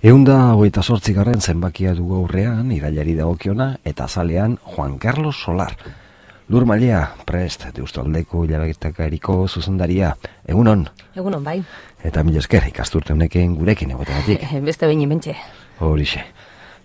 128. zenbakia dugu aurrean, irailari dagokiona, eta azalean Juan Carlos Solar. Lur Mailea, prest, Deustaldeko hilabetekariko zuzendaria. Egunon? Egunon, bai. Eta mila esker, ikasturte honeken gurekin egotegatik. Beste behin ibentxe. Horixe.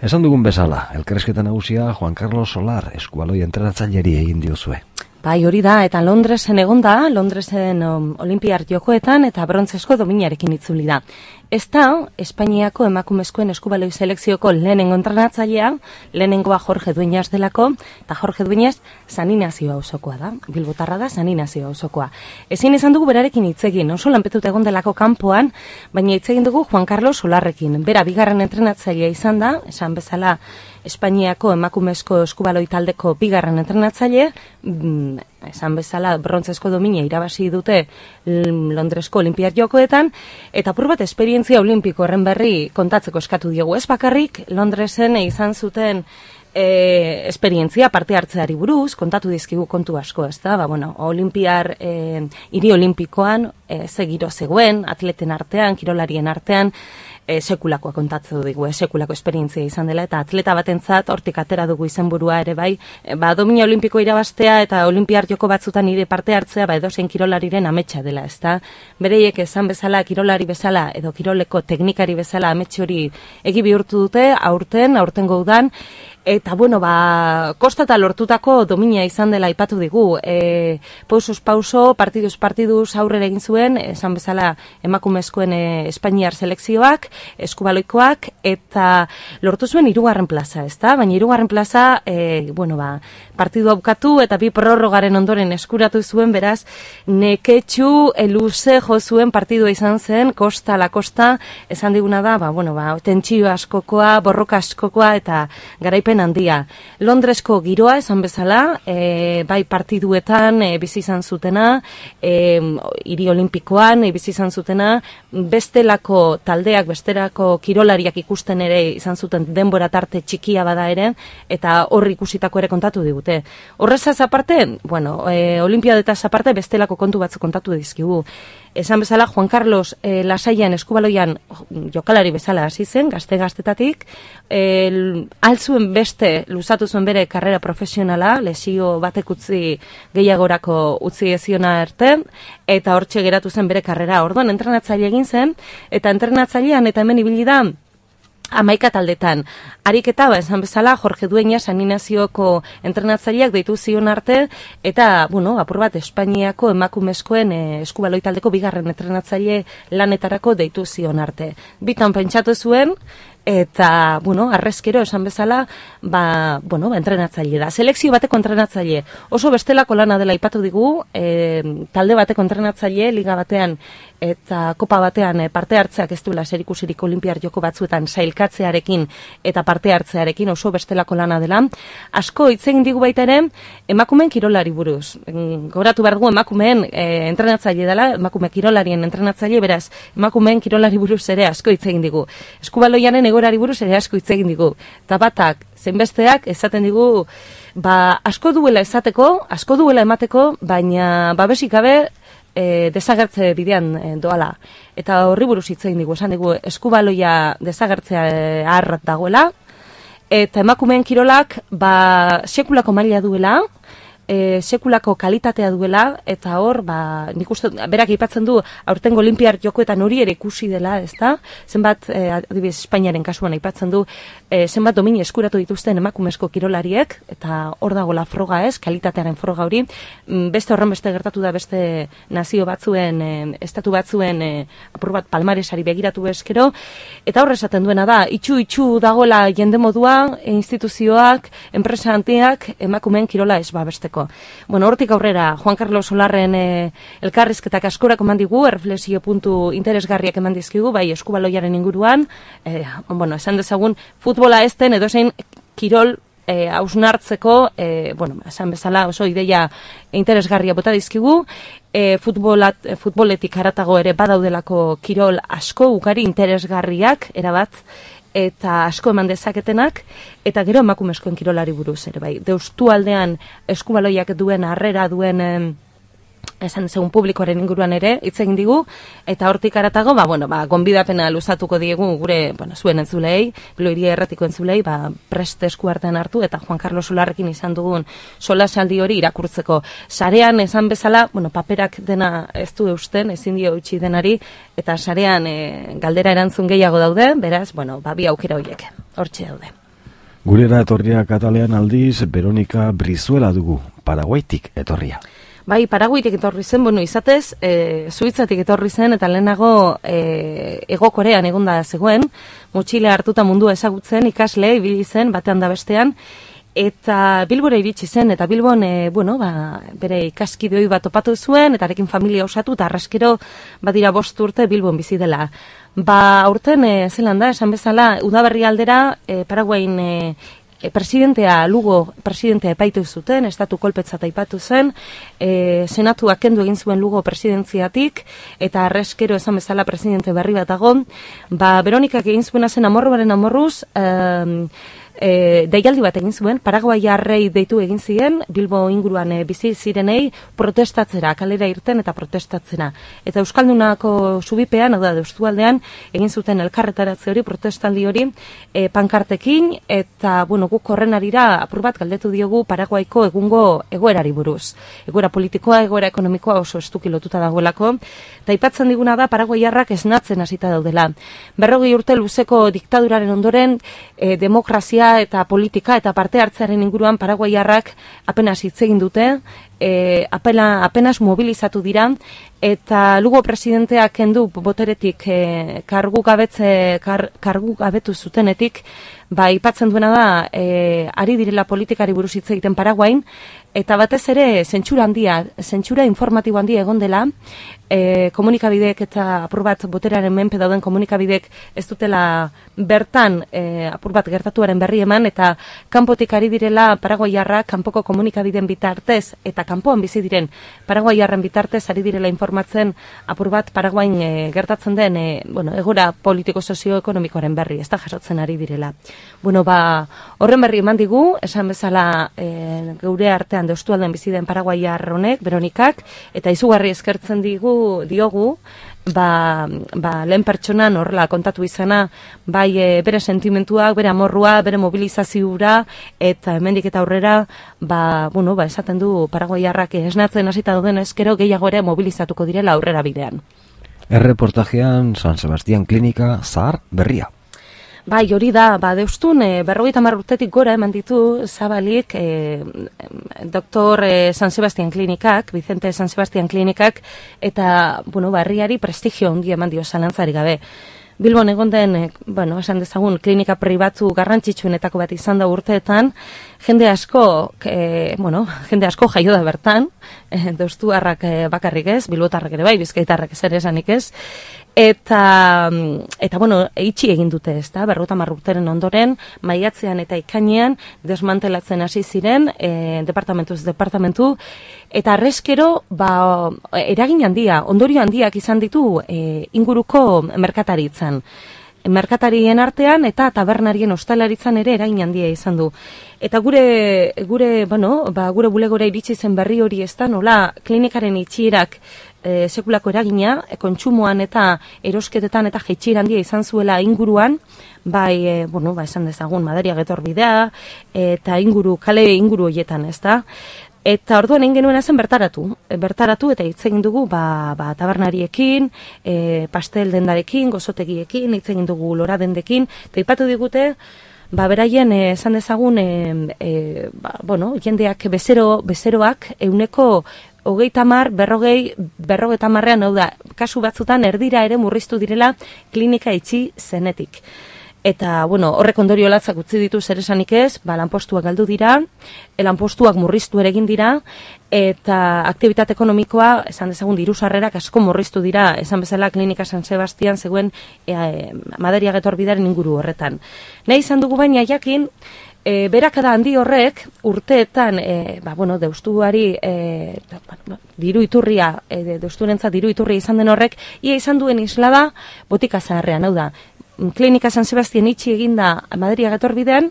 Esan dugun bezala, elkarrizketa nagusia Juan Carlos Solar, eskubaloi entrenatzaileari egin diozue. Bai, hori da, eta Londresen egonda, Londresen Olimpiar Jokoetan eta brontzesko dominarekin itzuli da. Ez da, Espainiako emakumezkoen eskubaloi selekzioko lehenengo entrenatzailea, lehenengoa Jorge Dueñas delako, eta Jorge Dueñas San Inazio auzokoa da, Bilbotarra da San Inazio auzokoa. Ezin izan dugu berarekin hitzegin, oso lanpetuta egon delako kanpoan, baina hitzegin dugu Juan Carlos Solarrekin. Bera, bigarren entrenatzailea izan da, esan bezala Espainiako emakumezko eskubaloi taldeko bigarren entrenatzaile, esan bezala brontzesko domina irabazi dute Londresko Olimpiar Jokoetan, eta apur bat esperientzia olimpiko horren berri kontatzeko eskatu diegu. Ez bakarrik Londresen izan zuten esperientzia parte hartzeari buruz, kontatu dizkigu kontu asko, ez da? Olimpiar, hiri olimpikoan, ze giro zegoen, atleten artean, kirolarien artean, sekulakoa kontatzen dugu, sekulako esperientzia izan dela, eta atleta batentzat hortik atera dugu izenburua ere bai, domina olimpiko irabaztea eta olimpiar joko batzutan nire parte hartzea, edozein kirolariren ametsa dela, ez da? Bereiek esan bezala, kirolari bezala, edo kiroleko teknikari bezala ametsi hori egi bihurtu dute, aurtengo udan, eta kostata lortutako domina izan dela aipatu digu. Pausuz pauso, partiduz aurrera egin zuen, esan bezala emakumezkoen Espainiar selekzioak, eskubaloikoak, eta lortu zuen 3. plaza, ezta? Baina 3. plaza, partidua bukatu eta 2 prorrogaren ondoren eskuratu zuen, beraz, neketxu luze jo zuen partidua izan zen, kosta la kosta, esan diguna da, tentsio askokoa, borroka askokoa, eta garaipen handia. Londresko giroa esan bezala, bai partiduetan bizi izan zutena, hiri olimpikoan bizi izan zutena, bestelako taldeak, bestelako kirolariak ikusten ere izan zuten denbora tarte txikia bada ere, eta hor ikusitako ere kontatu digute. Horrezaz aparte, olimpiadetaz aparte bestelako kontu batzu kontatu dizkigu. Esan bezala, Juan Carlos lasaian eskubaloian jokalari bezala hasi zen, gaztetatik, altzuen beste luzatu zuen bere karrera profesionala, lesio batek utzi gehiagorako utzi eziona arte, eta hortxe geratu zen bere karrera. Orduan, entrenatzaile egin zen, eta entrenatzailean eta hemen ibili da 11 taldetan. Ariketa, esan bezala, Jorge Dueñas San Inazioko entrenatzaileak deitu zion arte, eta, apur bat, Espainiako emakumezkoen eskubaloi taldeko bigarren entrenatzaile lanetarako deitu zion arte. Bitan pentsatu zuen, eta, arrezkero esan bezala, entrenatzaile da. Selekzio bateko entrenatzaile. Oso bestelako lana dela aipatu digu, talde bateko entrenatzaile, liga batean, eta kopa batean parte hartzeak ez duela zerikusirik olimpiar joko batzuetan sailkatzearekin eta parte hartzearekin oso bestelako lana dela. Asko hitz egin digu baita ere emakumeen kirolari buruz. Gogoratu behar dugu emakumeen entrenatzaile dela, emakume kirolarien entrenatzaile, beraz, emakumeen kirolari buruz ere asko hitz egin digu. Eskubaloianen egorari buruz ere asko hitz egin digu. Eta batak, zenbesteak esaten digu, asko duela esateko, asko duela emateko, baina babesik gabe desagertze bidean doala. Eta horri buruz hitz egin digu, esan digu eskubaloia desagertzea harrat dagoela, eta emakumeen kirolak sekulako maila duela, sekulako kalitatea duela, eta hor, nik uste, berak aipatzen du, aurtengo Olimpiar Jokoetan hori ere ikusi dela, ez da? Zenbat, adibidez, Espainiaren kasuan aipatzen du, zenbat domini eskuratu dituzten emakumezko kirolariek, eta hor dagoela froga ez, kalitatearen froga hori, beste horren beste gertatu da beste nazio batzuen, estatu batzuen, apur bat palmaresari begiratu eskero, eta horre esaten duena da, itxu dagoela jende modua, instituzioak, enpresa handiak, emakumeen kirola ez babesteko. Hortik aurrera, Juan Carlos Solarren elkarrizketak askorako eman digu, erreflexio puntu interesgarriak eman dizkigu, bai eskubaloiaren inguruan, esan dezagun, futbola ezten edozein kirol hausnartzeko, esan bezala oso ideia interesgarria bota dizkigu, futboletik haratago ere badaudelako kirol asko, ugari interesgarriak, erabat, eta asko eman dezaketenak, eta gero emakumezkoen kirolari buruz ere bai. Deustu aldean eskubaloiak duen harrera duen esan dezagun publikoaren inguruan ere hitz egin digu, eta hortik aratago, gonbidapena luzatuko diegu gure, zuen entzulei, Bilbo Hiria Erratiko entzulei, prest esku artean hartu, eta Juan Carlos Solarrekin izan dugun solasaldi hori irakurtzeko. Sarean esan bezala, paperak dena ez du eusten, ezin dio utzi denari, eta sarean galdera erantzun gehiago daude, beraz, bi aukera horiek, hortxe daude. Gurera etorria Katalean aldiz, Veronika Brizuela dugu, Paraguaitik etorria. Bai, Paraguaitik etorri zen, izatez, Suitzatik etorri zen, eta lehenago Hego Korean egonda zegoen, motxile hartuta mundua ezagutzen, ikasle, ibili zen, batean da bestean, eta Bilbora iritsi zen, eta Bilbon, bere ikaskidoi bat topatu zuen, eta arekin familia osatu, eta arraskero badira 5 urte Bilbon bizi dela. Aurten, zelan da, esan bezala, udaberri aldera, Paraguain Lugo presidentea epaitu zuten, estatu kolpetzat aipatu zen, senatuak kendu egin zuen Lugo presidentziatik, eta arreskero esan bezala presidente berri bat dago. Veronikak egin zuena zen amorruaren amorruz, deialdi bat egin zuen, paraguaiarrei deitu egin ziren, Bilbo inguruan bizi zirenei protestatzera, kalera irten eta protestatzera. Eta Euskaldunako subipean, hau da, Deustualdean, egin zuten elkarretaratze hori, protestaldi hori, pankartekin, eta, guk horren arira apur bat galdetu diogu Paraguaiko egungo egoerari buruz. Egoera politikoa, egoera ekonomikoa oso estuki lotuta dagoelako, eta aipatzen diguna da paraguaiarrak esnatzen hasita daudela. 40 urte luzeko diktaduraren ondoren, demokrazia eta politika eta parte hartzearen inguruan paraguaiarrak apenas hitz egin dute, apenas mobilizatu dira, eta Lugo presidenteak kendu boteretik kargu gabetu zutenetik, aipatzen duena da, ari direla politikari buruz hitz egiten Paraguain, eta batez ere zentsura informatibo handia egon dela, komunikabideek eta apur bat boteraren menpe dauden komunikabideek ez dutela bertan apur bat gertatuaren berri eman, eta kanpotik ari direla paraguaiarrak kanpoko komunikabideen bitartez, eta kanpoan bizi diren paraguaiarren bitartez ari direla informatzen apur bat Paraguain gertatzen den egoera politiko-sozioekonomikoaren berri, ez da jasotzen ari direla. Horren berri eman digu, esan bezala geure artean Deustualdean bizi den paraguaiar honek, Veronikak, eta izugarri eskertzen diogu, lehen pertsonan horrela kontatu izana, bere sentimentuak, bere amorrua, bere mobilizazioa, eta hemendik eta aurrera, esaten du paraguaiarrak esnatzen hasita dauden ezkero gehiago ere mobilizatuko direla aurrera bidean. Erreportajean San Sebastian Klinika zahar berria. Hori da, Deustun, 50 urtetik gora eman ditu zabalik Dr. San Sebastian Klinikak, Vicente San Sebastian Klinikak, eta, herriari prestigio ongi eman dio zalantzari gabe. Bilbon egon den, esan dezagun, klinika pribatu garrantzitsuenetako bat izan da urteetan, jende asko jaio da bertan, deustuarrak bakarrik ez, bilbotarrak ere bai, bizkaitarrak ez ere esanik ez, eta eitsi egin dute ez da, 50 urteren ondoren, maiatzean eta ikainean desmantelatzen hasi ziren, departamentuz departamentu, eta arreskero, eragin handia, ondorio handiak izan ditu inguruko merkataritzan. Merkatarien artean eta tabernarien ostalaritzan ere eragin handia izan du. Eta gure bulegora iritsi zen berri hori ez da, nola klinikaren itxierak sekulako eragina, kontsumoan eta erosketetan eta jaitsira handia izan zuela inguruan, esan dezagun, Madariaga etorbidea, eta kale inguru horietan, ez da. Eta orduan egin genuena zen bertaratu eta hitz egin dugu tabernariekin, pastel dendarekin, gozotegiekin, hitz egin dugu lora dendekin, eta ipatu digute, beraien esan dezagun, jendeak bezeroak euneko 30-40-an, hau da, kasu batzutan erdira ere murriztu direla klinika itxi zenetik. Eta, horrek ondorio latzak utzi ditu zer esanik ez, lanpostuak galdu dira, lanpostuak murriztu ere egin dira, eta aktibitate ekonomikoa, esan dezagun, diru-sarrerak asko murriztu dira, esan bezala klinika San Sebastian zegoen Madariaga etorbidaren inguru horretan. Nahi izan dugu baina jakin, berakada handi horrek urteetan, deustuari diru iturria, deusturentzat diru iturria izan den horrek, ia izan duen islada botika zaharrean, hau da, klinika San Sebastian itxi eginda Madariaga etorbidean,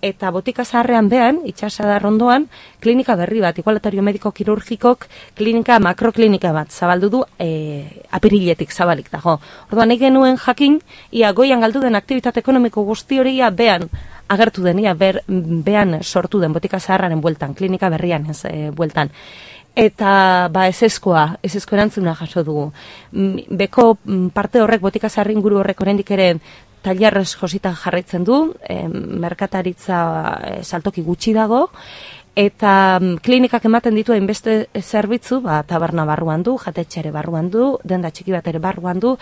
eta botika zaharrean behan, itxasadar ondoan, klinika berri bat, igualatorio mediko kirurgikok klinika, makroklinika bat, zabaldu du apiriletik zabalik dago. Orduan, nahi genuen jakin, ia goian galdu den aktivitate ekonomiko guzti hori ia behan agertu den, ia behan sortu den botika zaharraren bueltan, klinika berrian ez bueltan. Eta ezezkoa erantzuna jaso dugu. Beko parte horrek, botika zaharrin inguru horrek oraindik ere tailerrez jositan jarraitzen du, merkataritza saltoki gutxi dago, eta klinikak ematen ditu hainbeste zerbitzu, taberna barruan du, jatetxe ere barruan du, denda txiki bat ere barruan du,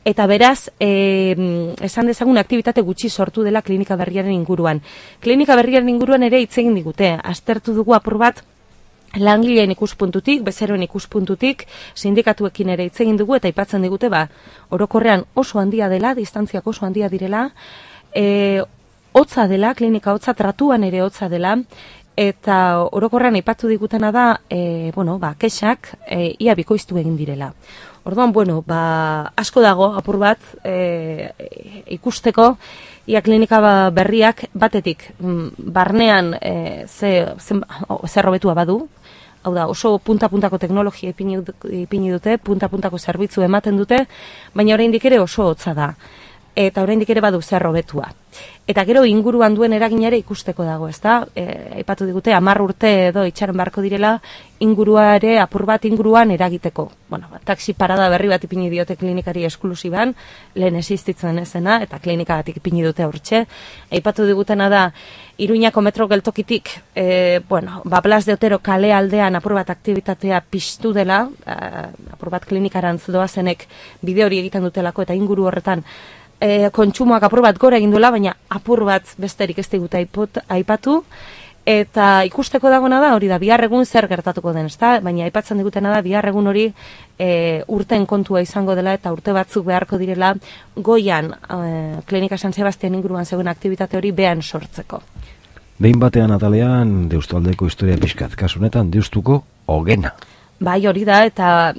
eta beraz, esan dezagun aktivitate gutxi sortu dela klinika berriaren inguruan. Klinika berriaren inguruan ere hitz egin digute, aztertu dugu apur bat, langileen ikuspuntutik, bezeroen ikuspuntutik, sindikatuekin ere hitz egin dugu eta aipatzen digute, orokorrean oso handia dela, distantziak oso handia direla, hotza dela, klinika hotza, tratuan ere hotza dela, eta orokorrean aipatu digutena da, kexak ia bikoiztu egin direla. Orduan, asko dago apur bat ikusteko, ia klinika berriak batetik barnean zer hobetua badu, hau da, oso punta-puntako teknologia ipini dute, punta-puntako zerbitzu ematen dute, baina oraindik ere oso hotza da. Eta oraindik ere badu zer hobetua. Eta gero inguruan duen eraginare ikusteko dago, ezta? Aipatu digute 10 urte edo itxaron beharko direla inguruare apur bat inguruan eragiteko. Taxi parada berri bat ipini diote klinikari esklusiban, lehen existitzen ezena eta klinikagatik ipini dute hortxe. Aipatu digutena da Iruñako metro geltokitik, Blas de Otero kale aldean apur bat aktibitatea piztu dela, apur bat klinikarantz doazenek bide hori egiten dutelako eta inguru horretan kontsumoak apur bat gora egin duela, baina apur bat besterik ez digute aipatu, eta ikusteko dagona da, hori da, bihar egun zer gertatuko den, ezta? Baina aipatzen digutena da, bihar egun hori urten kontua izango dela, eta urte batzuk beharko direla, goian Klinika San Sebastian inguruan zegoen aktivitate hori behan sortzeko. Behin batean atalean, Deustualdeko historia pixkat, kasunetan, Deustuko Ogena. Bai, hori da, eta,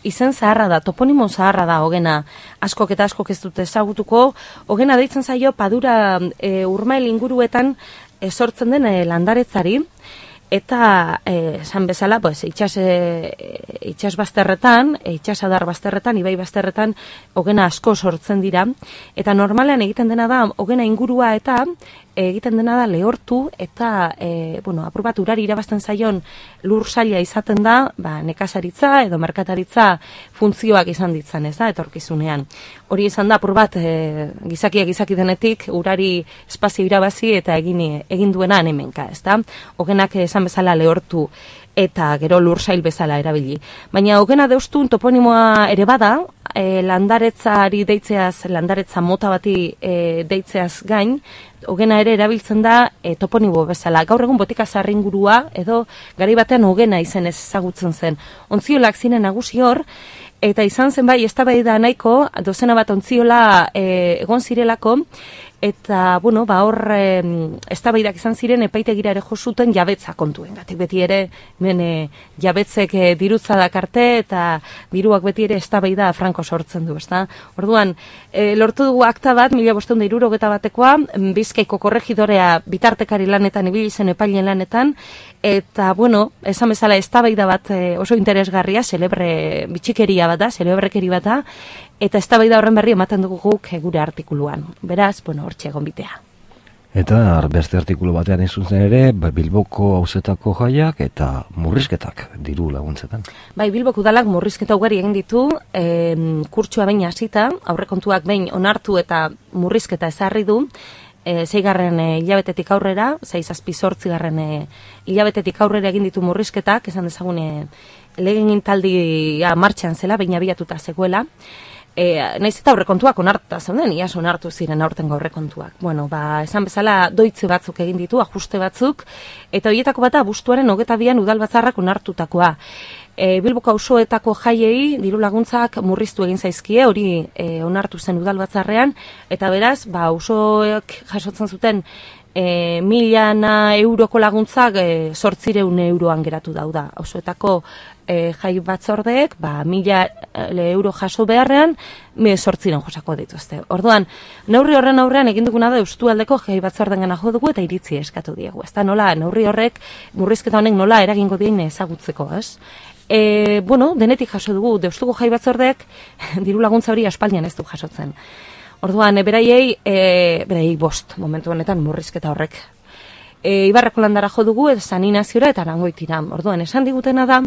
izen zaharra da, toponimo zaharra da Ogena, askok eta askok ez dute ezagutuko. Ogena deitzen zaio Padura Urmael inguruetan sortzen den landaretzari, eta esan bezala, itxas bazterretan, itxasadar bazterretan, ibai bazterretan, Ogena asko sortzen dira, eta normalean egiten dena da, Ogena ingurua eta egiten dena da lehortu, eta apur bat urari irabazten zaion lur saila izaten da, nekazaritza edo merkataritza funtzioak izan ditzan, ez da, etorkizunean. Hori izan da, apur bat, gizaki denetik, urari espazio irabazi eta egin duena hemenka, ez da. Ogenak esan bezala lehortu eta gero lursail bezala erabili. Baina Ogena Deustun toponimoa ere bada, landaretzari deitzeaz, landaretza mota bati deitzeaz gain, Ogena ere erabiltzen da toponimo bezala. Gaur egun botika zaharri ingurua edo garai batean Ogena izenez ezagutzen zen. Ontziolak ziren nagusi hor, eta izan zen bai eztabaida nahiko, dozena bat ontziola egon zirelako, eta, hor eztabaidak izan ziren epaitegira ere jo zuten jabetza kontuen. Gatik beti ere, jabetzek dirutza dakarte eta diruak beti ere eztabaida franko sortzen du, ezta? Orduan, lortu dugu akta bat, 1571-batekoa, Bizkaiko korregidorea bitartekari lanetan, ibili zen epailen lanetan, eta, esan bezala eztabaida bat oso interesgarria, celebre bitxikeria bat da, celebrekeri bat da, eta eztabaida horren berri ematen dugu guk gure artikuluan. Beraz, hortxe egon bitea. Eta beste artikulu batean izuntzen ere, Bilboko auzetako jaiak eta murrizketak diru laguntzetan. Bai, Bilboko udalak murrizketa ugari egin ditu, kurtsua behin hasita, aurrekontuak behin onartu eta murrizketa ezarri du, 6. hilabetetik aurrera, 6-8 hilabetetik aurrera egin ditu murrizketak, esan dezagun legegintzaldia martxan zela, behin abiatuta zegoela, naiz eta aurrekontuak onartuta zeuden, iaz onartu ziren aurtengo aurrekontuak. Esan bezala doitze batzuk egin ditu, ajuste batzuk, eta horietako bata abuztuaren 22 udalbatzarrak onartutakoa. Bilboko auzoetako jaiei diru laguntzak murriztu egin zaizkie, hori onartu zen udalbatzarrean, eta beraz, auzoek jasotzen zuten €1.000 euroko laguntzak 800 euroan geratu dauda. Osoetako jai batzordeek, €1.000 jaso beharrean, 800 josako dituzte. Orduan, neurri horren aurrean egin duguna da Eustualdeko jai batzorden gana jo dugu eta iritzi eskatu diegu. Ez da nola, neurri horrek, murrizketa honek nola eragingo dien ezagutzeko, ez? Denetik jaso dugu, Deustuko jai batzordeek diru laguntza hori aspaldian ez du jasotzen. Orduan, beraiei 5 momentu honetan murrizketa horrek. Ibarrako landara jo dugu, San Inaziora eta Arangoitira. Orduan, esan digutena da,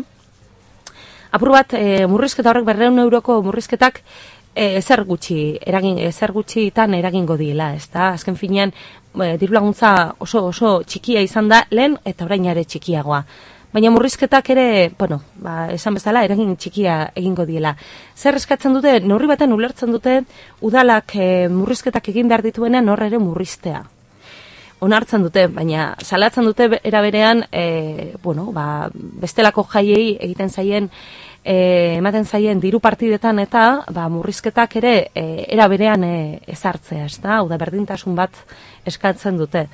apur bat, murrizketa horrek 200 euroko murrizketak ezer gutxitan eragingo diela, ez da? Azken finean, diru laguntza oso txikia izan da lehen eta orain ere txikiagoa. Baina murrizketak ere, esan bezala, eragin txikia egingo diela. Zer eskatzen dute, neurri baten ulertzen dute, udalak murrizketak egin behar dituenean horre ere murriztea. Onartzen dute, baina salatzen dute eraberean, bestelako jaiei egiten zaien, ematen zaien diru partidetan eta murrizketak ere eraberean ezartzea, ez da? Hau da, berdintasun bat eskatzen dute.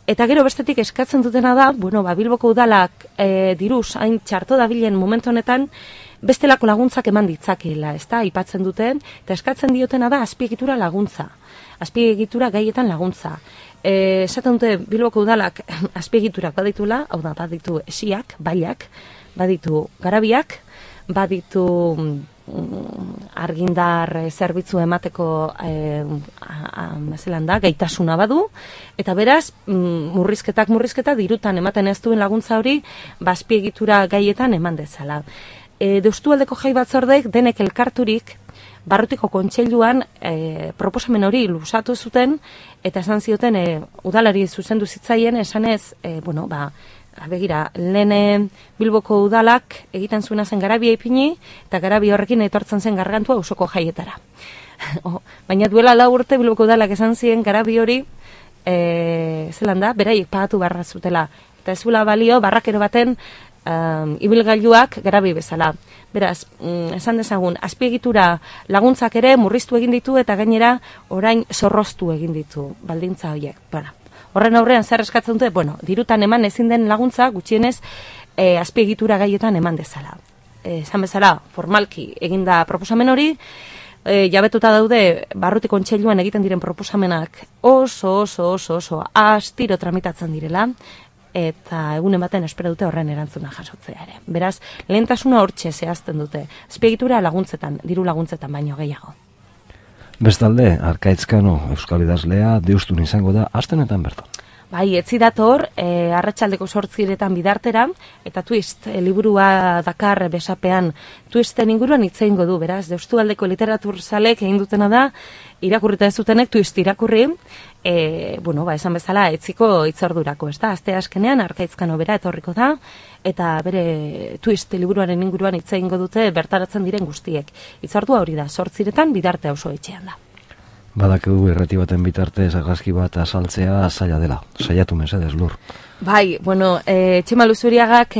Eta gero bestetik eskatzen dutena da, Bilboko udalak diruz hain txarto dabilen momentu honetan, bestelako laguntzak eman ditzakeela, ez da, aipatzen duten, eta eskatzen diotena da azpiegitura laguntza, azpiegitura gaietan laguntza. Esaten dute Bilboko udalak azpiegiturak baditula, hau da, baditu esiak, bailak, baditu garabiak, baditu argindar zerbitzu emateko gaitasuna badu, eta beraz, murrizketa dirutan ematen ez duen laguntza hori, azpiegitura gaietan eman dezala. Deustualdeko jai batzordeek denek elkarturik, Barrutiko kontseiluan proposamen hori luzatu zuten, eta esan zioten udalari zuzendu zitzaien, esanez, begira, lehen Bilboko udalak egiten zuena zen garabia ipini, eta garabi horrekin etortzen zen gargantua auzoko jaietara. Baina duela 4 urte Bilboko udalak esan zien garabi hori, beraiek pagatu barra zutela. Eta ez zuela balio, barrakero baten ibilgailuak garabi bezala. Beraz, esan dezagun, azpiegitura laguntzak ere murriztu egin ditu, eta gainera orain zorroztu egin ditu baldintza horiek. Horren aurrean zer eskatzen dute, dirutan eman ezin den laguntza, gutxienez azpiegitura gaietan eman dezala. Esan bezala, formalki eginda proposamen hori, jabetuta daude Barruti kontseiluan egiten diren proposamenak oso astiro tramitatzen direla, eta egunen baten espero dute horren erantzuna jasotzea ere. Beraz, lehentasuna hortxe zehazten dute, azpiegitura laguntzetan, diru laguntzetan baino gehiago. Bestalde, Arkaitzkano euskal idazlea deustun izango da astenetan bertan. Bai, etzi dator, arratsaldeko 8 bidartera, eta Twist liburua dakar besapean Twisten inguruan hitz egingo du, beraz, Deustualdeko literaturzalek egin dutena da, irakurrita ez zutenek Twist irakurri, esan bezala etziko hitzordurako, ez da? Aste askenean Arkaitzkano bera etorriko da, eta bere Twist liburuaren inguruan hitz egingo dute bertaratzen diren guztiek. Hitzordua hori da, 8 bidarte auzo etxean da. Badakigu irrati baten bitartez argazki bat azaltzea zaila dela. Saiatu mesedez, Lur. Bai, Txema Luzuriagak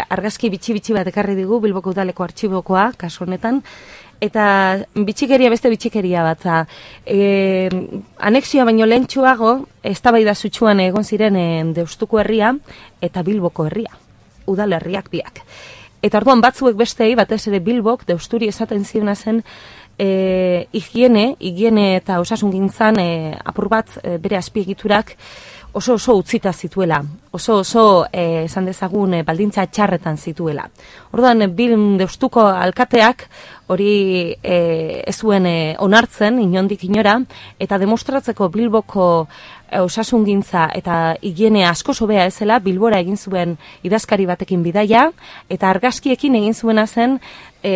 argazki bitxi bat ekarri digu Bilboko udaleko artxibokoa, kasu honetan, eta bitxikeria beste bitxikeria bat. Anexioa baino lehentsuago, eztabaida sutsuan egon ziren Deustuko herria eta Bilboko herria, udalerriak biak. Eta orduan batzuek bestei, batez ere Bilbok, Deusturi esaten ziona zen, higiene eta osasungintzan apur bat bere azpiegiturak oso utzita zituela, oso esan dezagun baldintza txarretan zituela. Orduan, Deustuko alkateak hori ez zuen onartzen inondik inora, eta demostratzeko Bilboko osasungintza eta higiene asko hobea ezela, Bilbora egin zuen idazkari batekin bidaia, eta argazkiekin egin zuena zen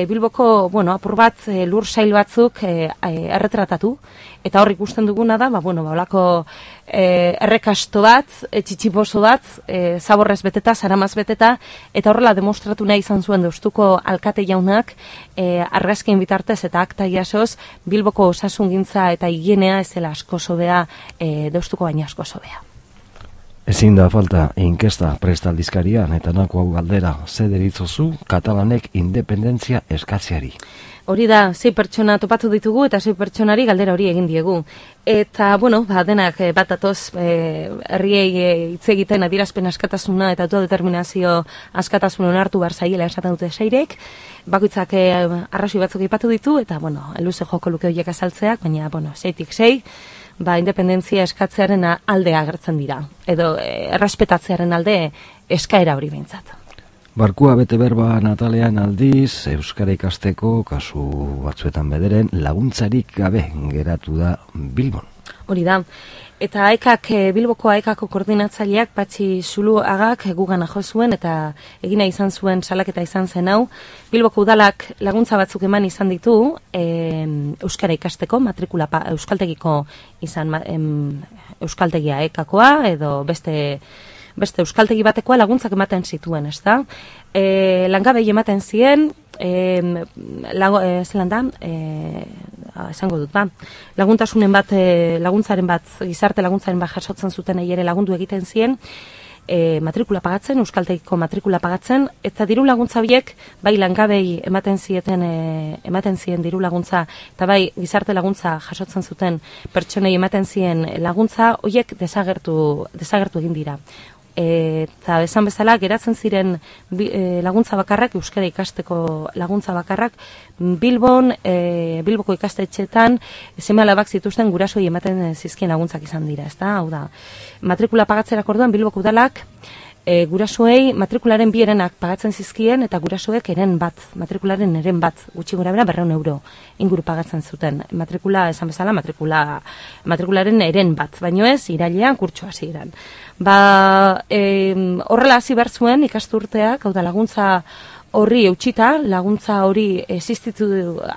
Bilboko, apur bat lur sail batzuk erretratatu, eta hor ikusten duguna da, holako errekasto bat, txitxiposo bat, zaborrez beteta, zaramaz beteta, eta horrela demostratu nahi izan zuen Deustuko alkate jaunak, argazkien bitartez eta akta jasoz, Bilboko osasungintza eta higienea ez dela asko hobea, Deustuko baina asko hobea. Ezin da falta inkesta prestaldizkarian eta nako hau galdera, ze deritzozu katalanek independentzia eskatzeari. Hori da, 6 pertsona topatu ditugu eta 6 pertsonari galdera hori egin diegu. Eta, denak bat atoz herriei hitz egiten adierazpen askatasuna eta autodeterminazio askatasuna onartu behar zaiela esaten dute seirek. Bakoitzak arrazoi batzuk aipatu ditu eta, luze joko luke horiek azaltzeak, baina, 6-6, independentzia eskatzearen alde agertzen dira. Edo errespetatzearen alde eskaera hori behintzat. Barkua bete berba Natalean aldiz, euskara ikasteko, kasu batzuetan bederen, laguntzarik gabe geratu da Bilbon. Hori da. Eta Bilboko AEKako koordinatzaileak Patxi Zuluagak gugana jo zuen eta egina izan zuen salaketa izan zen hau. Bilboko udalak laguntza batzuk eman izan ditu euskara ikasteko, matrikula euskaltegiko izan euskaltegia AEKakoa edo beste euskaltegi batekoa laguntzak ematen zituen, ez da? Langabei ematen zien, esango dut, laguntasunen bat, laguntzaren bat, gizarte laguntzaren bat jasotzen zuten ere lagundu egiten zien, matrikula pagatzen, euskaltegiko matrikula pagatzen, eta diru laguntza biek, bai langabei ematen zien diru laguntza, eta bai gizarte laguntza jasotzen zuten pertsonei ematen zien laguntza, horiek desagertu egin dira. Eta esan bezala geratzen ziren laguntza bakarrak, euskara ikasteko laguntza bakarrak, Bilboko ikastetxeetan seme-alabak zituzten gurasoei ematen zizkien laguntzak izan dira, ezta? Hau da, matrikula pagatzerak orduan Bilboko udalak gurasoei matrikularen 2 herenak pagatzen zizkien eta gurasoek matrikularen eren bat, gutxi gora bera 200 euro inguru pagatzen zuten. Matrikula, esan bezala, matrikularen eren bat, baino ez, irailean kurtso hasieran. Horrela hasi behar zuen ikasturteak, hau da laguntza horri eutxita, laguntza hori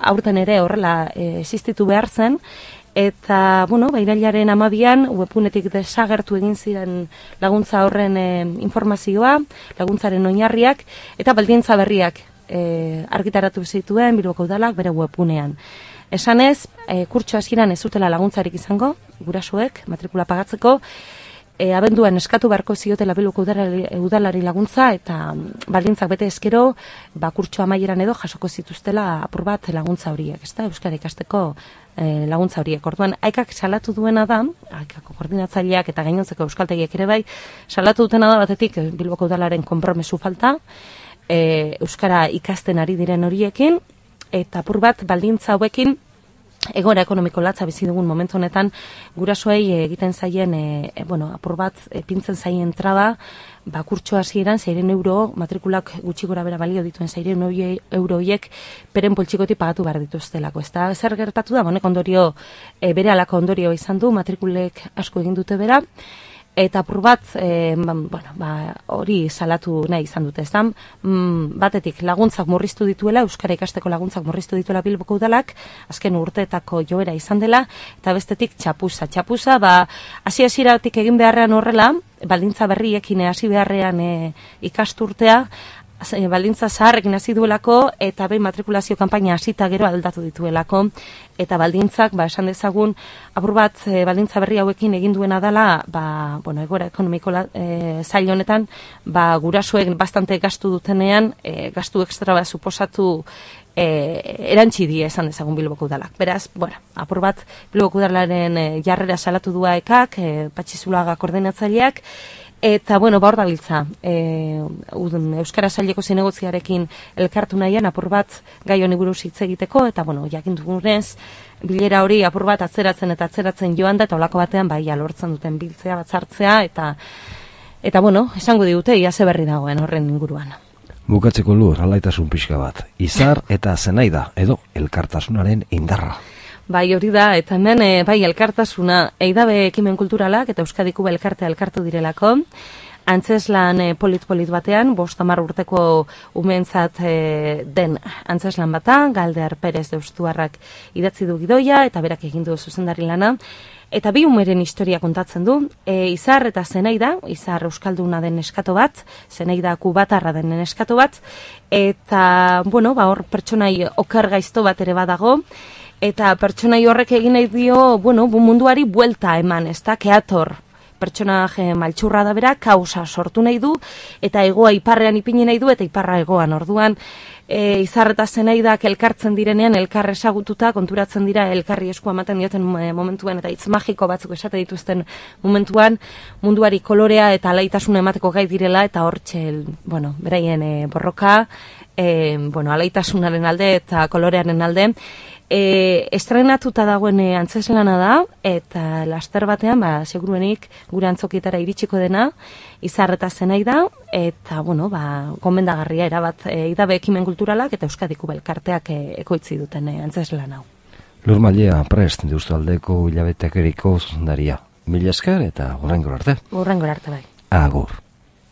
aurten ere horrela existitu behar zen, eta, irailaren 12an webgunetik desagertu egin ziren laguntza horren informazioa, laguntzaren oinarriak, eta baldintza berriak argitaratu zituen Bilboko udalak bere webgunean. Esanez, kurtso hasieran ez zutela laguntzarik izango, gurasoek, matrikula pagatzeko, abenduan eskatu beharko ziotela Bilboko udalari laguntza eta baldintzak bete ezkero, kurtso amaieran edo jasoko zituztela apur bat laguntza horiek, ezta? Euskara ikasteko laguntza horiek. Orduan, AEKak salatu duena da, AEKako koordinatzaileak eta gainontzeko euskaltegiek ere bai, salatu dutena da batetik Bilboko udalaren konpromesu falta, euskara ikasten ari diren horiekin, eta apur bat baldintza hauekin egoera ekonomiko latza bizi dugun momentu honetan gurasoei egiten zaien apur bat pintzen zaien traba, kurtso hasieran 600 euro matrikulak gutxi gora bera balio dituen 600 euro horiek peren poltsikotik pagatu behar dituztelako. Ezta zer gertatu da, honek ondorio berehalako ondorio izan du, matrikulek asko egin dute bera. Eta apur bat, hori salatu nahi izan dute, ezta? Batetik laguntzak murriztu dituela, euskara ikasteko laguntzak murriztu dituela Bilboko udalak, azken urteetako joera izan dela, eta bestetik txapuza, hasieratik egin beharrean horrela, baldintza berriekin hasi beharrean ikasturtea, baldintza zaharrekin hasi duelako eta behin matrikulazio kanpaina hasita gero aldatu dituelako eta baldintzak, esan dezagun, apur bat baldintza berri hauekin egin duena dela, egoera ekonomiko zail honetan, gurasoek bastante gastu dutenean, gastu ekstra suposatu erantzi die esan dezagun Bilboko udalak. Beraz, apur bat Bilboko udalaren jarrera salatu du AEKak, Patxi Zuluaga koordinatzaileak, eta, hor dabiltza, Euskara Saileko zinegotziarekin elkartu nahian apur bat gai honi buruz hitz egiteko, eta, jakin dugunez, bilera hori apur bat atzeratzen joan da, eta olako batean, lortzen duten biltzea, batzartzea, eta, esango digute, ia ze berri dagoen horren inguruan. Bukatzeko Lur, alaitasun pixka bat, izar eta zenaida, edo elkartasunaren indarra. Hori da, eta hemen, elkartasuna, eidabe ekimen kulturalak eta Euskadiko elkartea elkartu direlako, antzeslan polit batean, 50 urteko umentzat den antzeslan bata, Galder Perez Deustuarrak idatzi du gidoia, eta berak egin du zuzendari lana, eta bi umeren historia kontatzen du, izar eta zenaida, izar euskalduna den neskato bat, zenaida kubatarra den neskato bat, eta, hor pertsonai oker gaizto bat ere badago, eta pertsonai horrek egin nahi dio, munduari buelta eman, ez da, keator, pertsonaje maltsurra da bera, kausa sortu nahi du, eta hegoa iparrean ipini nahi du, eta iparra hegoan. Orduan, Izarreta Zenaidak elkartzen direnean, elkar esagututa, konturatzen dira elkarri eskua ematen dioten momentuan, eta hitz magiko batzuk esate dituzten momentuan, munduari kolorea eta alaitasuna emateko gai direla, eta hortxe, beraien borroka, alaitasunaren alde eta kolorearen alde, estrenatuta dagoen antzeslana da, eta laster batean, seguruenik gure antzokietara iritsiko dena, Izarreta Zenaida, eta, gomendagarria erabat idabe ekimen kulturalak eta Euskadiko elkarteak ekoitzi duten antzeslana hau. Lur Mailea, prest, Deustaldeko hilabeteak eriko zuzendaria. Mila esker eta hurrengora arte. Hurrengora arte bai. Agur.